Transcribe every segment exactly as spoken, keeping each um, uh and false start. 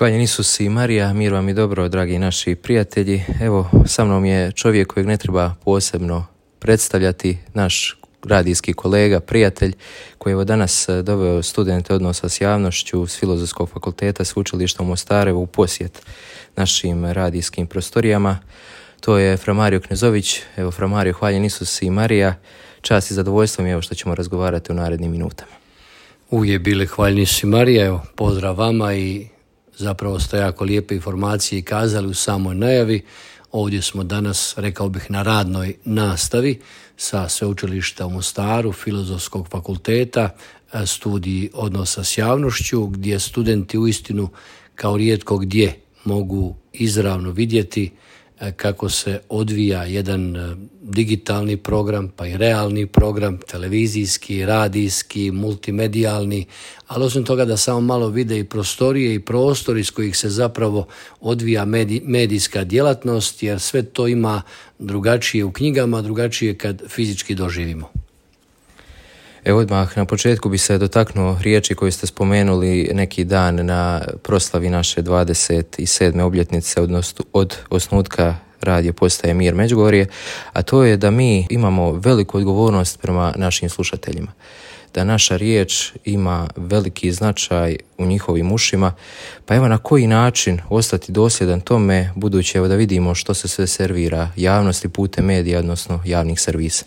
Hvaljen Isus i Marija, mir vam i dobro, dragi naši prijatelji. Evo, sa mnom je čovjek kojeg ne treba posebno predstavljati, naš radijski kolega, prijatelj, koji je evo danas doveo studente odnosa s javnošću s Filozofskog fakulteta Sveučilišta u Mostaru u posjet našim radijskim prostorijama. To je Fra Mario Knezović. Evo, Fra Mario, hvaljen Isus i Marija. Čast i zadovoljstvo mi je evo što ćemo razgovarati u narednim minutama. Uvijek bile hvaljeni Isus i Marija, evo, pozdrav vama i zapravo ste jako lijepe informacije kazali u samoj najavi. Ovdje smo danas, rekao bih, na radnoj nastavi sa Sveučilišta u Mostaru, Filozofskog fakulteta, studij odnosa s javnošću, gdje studenti uistinu kao rijetko gdje mogu izravno vidjeti kako se odvija jedan digitalni program, pa i realni program, televizijski, radijski, multimedijalni, ali osim toga da samo malo vide i prostorije i prostor iz kojih se zapravo odvija medij, medijska djelatnost, jer sve to ima drugačije u knjigama, drugačije kad fizički doživimo. Evo odmah na početku bi se dotaknuo riječi koju ste spomenuli neki dan na proslavi naše dvadeset sedme obljetnice odnosno od osnutka radio postaje Mir Međugorje, a to je da mi imamo veliku odgovornost prema našim slušateljima. Da naša riječ ima veliki značaj u njihovim ušima, pa evo na koji način ostati dosljedan tome, budući evo da vidimo što se sve servira javnosti putem medija, odnosno javnih servisa.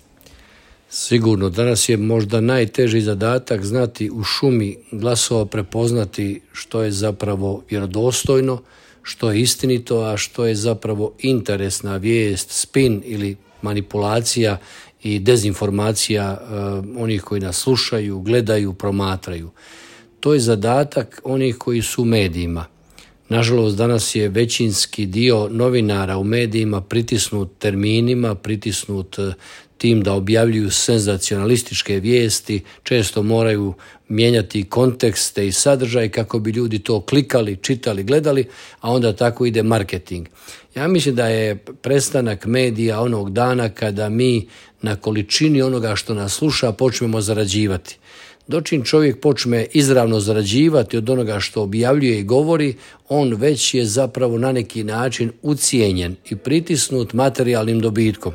Sigurno, danas je možda najteži zadatak znati u šumi glasova prepoznati što je zapravo vjerodostojno, što je istinito, a što je zapravo interesna vijest, spin ili manipulacija i dezinformacija uh, onih koji nas slušaju, gledaju, promatraju. To je zadatak onih koji su u medijima. Nažalost, danas je većinski dio novinara u medijima pritisnut terminima, pritisnut tim da objavljuju senzacionalističke vijesti, često moraju mijenjati kontekste i sadržaj kako bi ljudi to klikali, čitali, gledali, a onda tako ide marketing. Ja mislim da je prestanak medija onog dana kada mi na količini onoga što nas sluša počnemo zarađivati. Dočim čovjek počne izravno zarađivati od onoga što objavljuje i govori, on već je zapravo na neki način ucijenjen i pritisnut materijalnim dobitkom.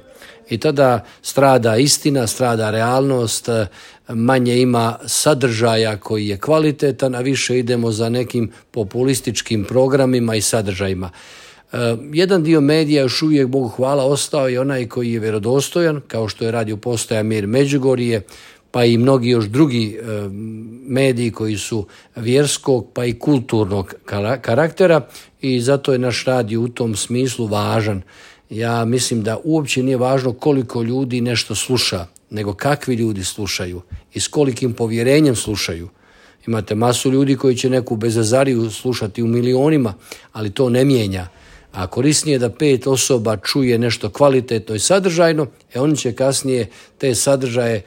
I tada strada istina, strada realnost, manje ima sadržaja koji je kvalitetan, a više idemo za nekim populističkim programima i sadržajima. Jedan dio medija još uvijek, Bogu hvala, ostao je onaj koji je vjerodostojan, kao što je radio postaja Mir Međugorje, pa i mnogi još drugi e, mediji koji su vjerskog pa i kulturnog karaktera i zato je naš radio u tom smislu važan. Ja mislim da uopće nije važno koliko ljudi nešto sluša, nego kakvi ljudi slušaju i s kolikim povjerenjem slušaju. Imate masu ljudi koji će neku bezazariju slušati u milionima, ali to ne mijenja. A korisnije je da pet osoba čuje nešto kvalitetno i sadržajno, e oni će kasnije te sadržaje e,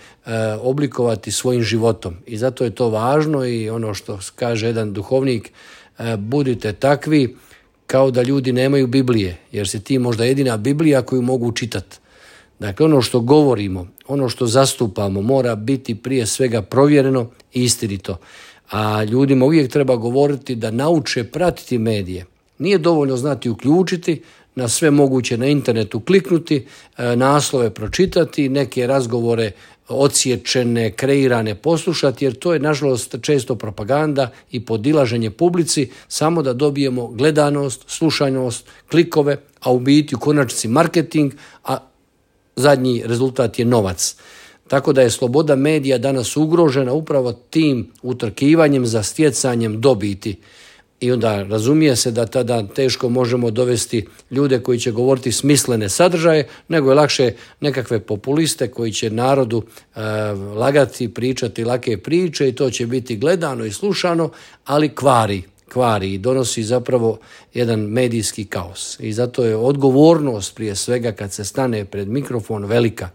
oblikovati svojim životom. I zato je to važno i ono što kaže jedan duhovnik, e, budite takvi kao da ljudi nemaju Biblije, jer si ti možda jedina Biblija koju mogu čitati. Dakle, ono što govorimo, ono što zastupamo mora biti prije svega provjereno i istinito. A ljudima uvijek treba govoriti da nauče pratiti medije. Nije dovoljno znati uključiti, na sve moguće na internetu kliknuti, naslove pročitati, neke razgovore odsječene, kreirane poslušati, jer to je nažalost često propaganda i podilaženje publici, samo da dobijemo gledanost, slušanost, klikove, a u biti u konačnici marketing, a zadnji rezultat je novac. Tako da je sloboda medija danas ugrožena upravo tim utrkivanjem za stjecanjem dobiti. I onda razumije se da tada teško možemo dovesti ljude koji će govoriti smislene sadržaje, nego je lakše nekakve populiste koji će narodu e, lagati, pričati lake priče i to će biti gledano i slušano, ali kvari, kvari i donosi zapravo jedan medijski kaos. I zato je odgovornost prije svega kad se stane pred mikrofon velika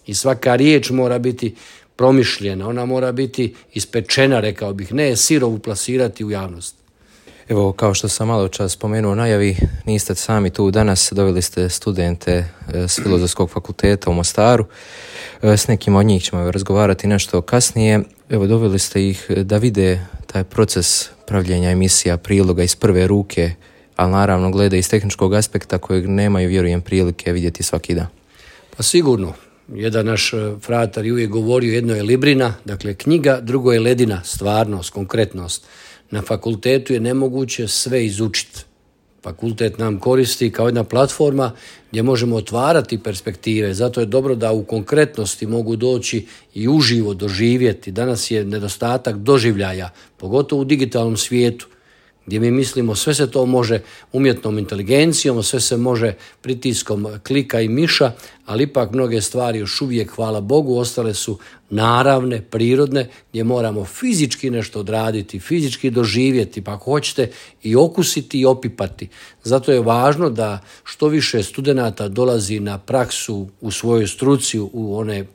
i svaka riječ mora biti promišljena, ona mora biti ispečena, rekao bih, ne sirovu plasirati u javnost. Evo, kao što sam malo čas spomenuo u najavi, niste sami tu danas, doveli ste studente s Filozofskog fakulteta u Mostaru. S nekim od njih ćemo razgovarati nešto kasnije. Evo, doveli ste ih da vide taj proces pravljenja emisija, priloga iz prve ruke, ali naravno glede iz tehničkog aspekta kojeg nemaju, vjerujem, prilike vidjeti svaki dan. Pa sigurno. Jedan naš fratar je uvijek govorio, jedno je librina, dakle knjiga, drugo je ledina, stvarnost, konkretnost. Na fakultetu je nemoguće sve izučiti. Fakultet nam koristi kao jedna platforma gdje možemo otvarati perspektive. Zato je dobro da u konkretnosti mogu doći i uživo doživjeti. Danas je nedostatak doživljaja, pogotovo u digitalnom svijetu, gdje mi mislimo sve se to može umjetnom inteligencijom, sve se može pritiskom klika i miša, ali ipak mnoge stvari još uvijek, hvala Bogu, ostale su naravne, prirodne, gdje moramo fizički nešto odraditi, fizički doživjeti, pa ako hoćete i okusiti i opipati. Zato je važno da što više studenata dolazi na praksu u svojoj struci, u one,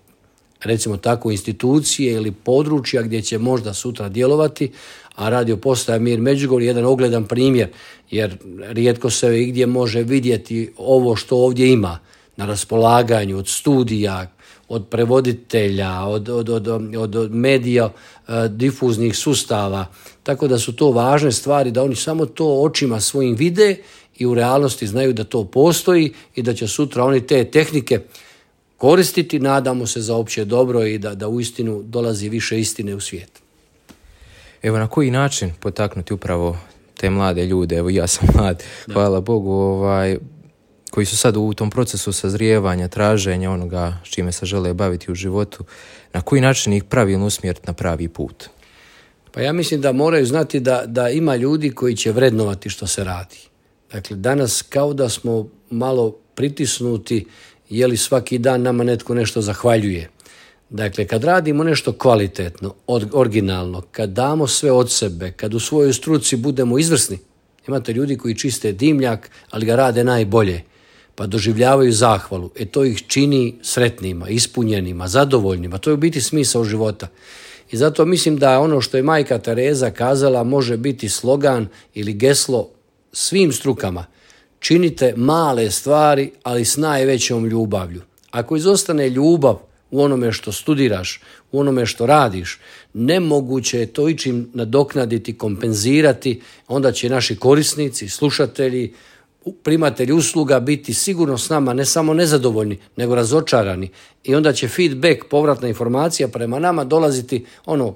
recimo tako, institucije ili područja gdje će možda sutra djelovati, a radio postaja Mir Međugorje je jedan ogledan primjer, jer rijetko se igdje može vidjeti ovo što ovdje ima na raspolaganju od studija, od prevoditelja, od, od, od, od, od medija, difuznih sustava. Tako da su to važne stvari, da oni samo to očima svojim vide i u realnosti znaju da to postoji i da će sutra oni te tehnike koristiti, nadamo se, za opće dobro i da, da uistinu dolazi više istine u svijet. Evo, na koji način potaknuti upravo te mlade ljude, evo ja sam mlad, da. Hvala Bogu, ovaj, koji su sad u tom procesu sazrijevanja, traženja onoga s čime se žele baviti u životu, na koji način ih pravilno usmjeriti na pravi put? Pa ja mislim da moraju znati da, da ima ljudi koji će vrednovati što se radi. Dakle, danas kao da smo malo pritisnuti, je li svaki dan nama netko nešto zahvaljuje. Dakle, kad radimo nešto kvalitetno, originalno, kad damo sve od sebe, kad u svojoj struci budemo izvrsni, imate ljudi koji čiste dimnjak, ali ga rade najbolje, pa doživljavaju zahvalu. E to ih čini sretnima, ispunjenima, zadovoljnima. To je u biti smisao života. I zato mislim da ono što je majka Tereza kazala može biti slogan ili geslo svim strukama. Činite male stvari, ali s najvećom ljubavlju. Ako izostane ljubav u onome što studiraš, u onome što radiš, nemoguće je to ičim nadoknaditi, kompenzirati, onda će naši korisnici, slušatelji, primatelji usluga biti sigurno s nama ne samo nezadovoljni, nego razočarani. I onda će feedback, povratna informacija prema nama dolaziti ono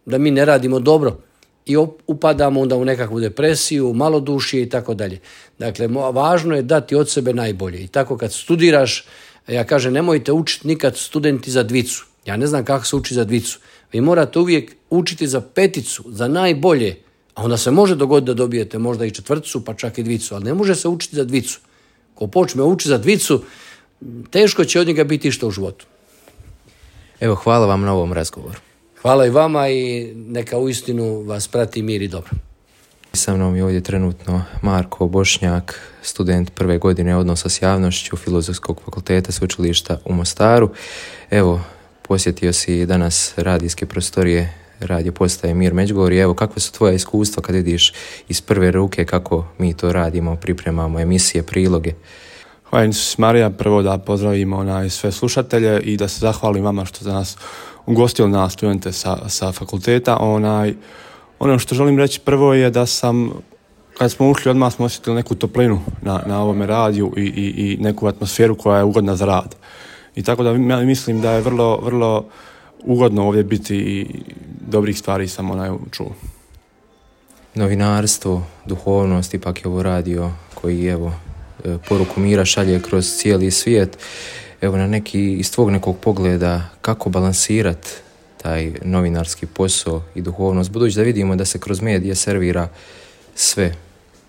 da mi ne radimo dobro i upadamo onda u nekakvu depresiju, malodušje i tako dalje. Dakle, važno je dati od sebe najbolje. I tako kad studiraš, ja kažem, nemojte učiti nikad studenti za dvicu. Ja ne znam kako se uči za dvicu. Vi morate uvijek učiti za peticu, za najbolje. A onda se može dogoditi da dobijete možda i četvrticu, pa čak i dvicu. Ali ne može se učiti za dvicu. Ko počne učiti za dvicu, teško će od njega biti išta u životu. Evo, hvala vam na ovom razgovoru. Hvala i vama i neka uistinu vas prati mir i dobro. Sa mnom je ovdje trenutno Marko Bošnjak, student prve godine odnosa s javnošću Filozofskog fakulteta Sveučilišta u Mostaru. Evo, posjetio si danas radijske prostorije radio postaje Mir Međugorje. Evo, kakve su tvoja iskustva kad vidiš iz prve ruke kako mi to radimo, pripremamo emisije, priloge? Hvala Isus Marija, prvo da pozdravimo onaj sve slušatelje i da se zahvalim vama što ste nas ugostili na studente sa, sa fakulteta. Onaj, ono što želim reći prvo je da sam, kad smo ušli, odmah smo osjetili neku toplinu na, na ovome radiju i, i, i neku atmosferu koja je ugodna za rad. I tako da mislim da je vrlo, vrlo ugodno ovdje biti i dobrih stvari sam onaj čuo. Novinarstvo, duhovnost, ipak je ovo radio koji, evo, poruku mira šalje kroz cijeli svijet. Evo, na neki, iz tvog nekog pogleda, kako balansirati taj novinarski posao i duhovnost, budući da vidimo da se kroz medije servira sve,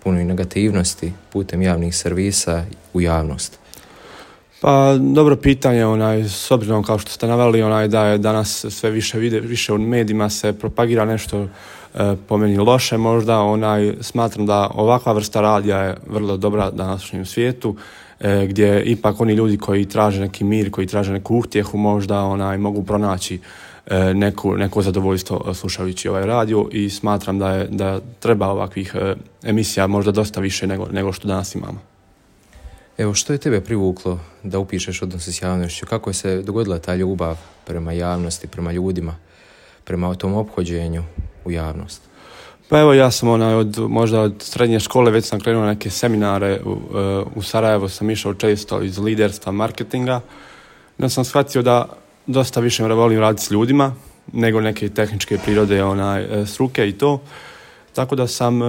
puno i negativnosti putem javnih servisa u javnost? Pa, dobro pitanje, onaj, s obzirom kao što ste naveli, onaj, da je danas sve više, vide, više u medijima se propagira nešto e, po meni loše možda, onaj, smatram da ovakva vrsta radija je vrlo dobra današnjem svijetu, e, gdje ipak oni ljudi koji traže neki mir, koji traže neku utjehu možda onaj, mogu pronaći neku, neko zadovoljstvo slušajući ovaj radio i smatram da, je, da treba ovakvih emisija možda dosta više nego, nego što danas imamo. Evo, što je tebe privuklo da upišeš odnose s javnošću? Kako je se dogodila ta ljubav prema javnosti, prema ljudima, prema tom ophođenju u javnost? Pa evo, ja sam onaj od, možda od srednje škole već sam krenuo neke seminare u, u Sarajevo, sam išao često iz liderstva, marketinga. Da sam shvatio da dosta više volim raditi s ljudima nego neke tehničke prirode onaj, struke i to. Tako da sam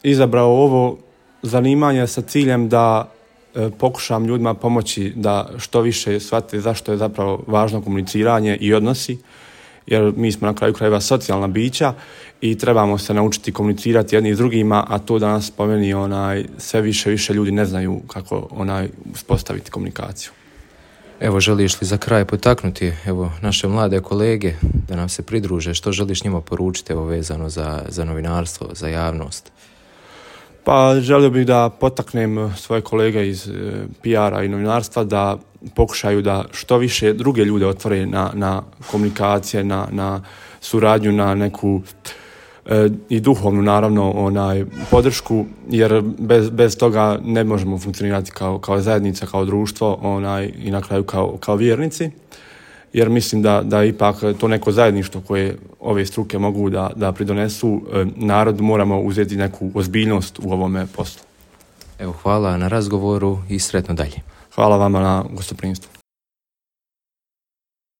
izabrao ovo zanimanje sa ciljem da pokušam ljudima pomoći da što više shvate zašto je zapravo važno komuniciranje i odnosi, jer mi smo na kraju krajeva socijalna bića i trebamo se naučiti komunicirati jedni s drugima, a to danas po meni onaj, sve više više ljudi ne znaju kako onaj uspostaviti komunikaciju. Evo, želiš li za kraj potaknuti evo, naše mlade kolege da nam se pridruže? Što želiš njima poručiti evo, vezano za, za novinarstvo, za javnost? Pa želio bih da potaknem svoje kolege iz P R-a i novinarstva da pokušaju da što više druge ljude otvore na, na komunikacije, na, na suradnju, na neku e, i duhovnu naravno onaj, podršku, jer bez, bez toga ne možemo funkcionirati kao, kao zajednica, kao društvo onaj, i na kraju kao, kao vjernici. Jer mislim da, da ipak to neko zajedništvo koje ove struke mogu da, da pridonesu, narod moramo uzeti neku ozbiljnost u ovome poslu. Evo, hvala na razgovoru i sretno dalje. Hvala vama na gostoprimstvu.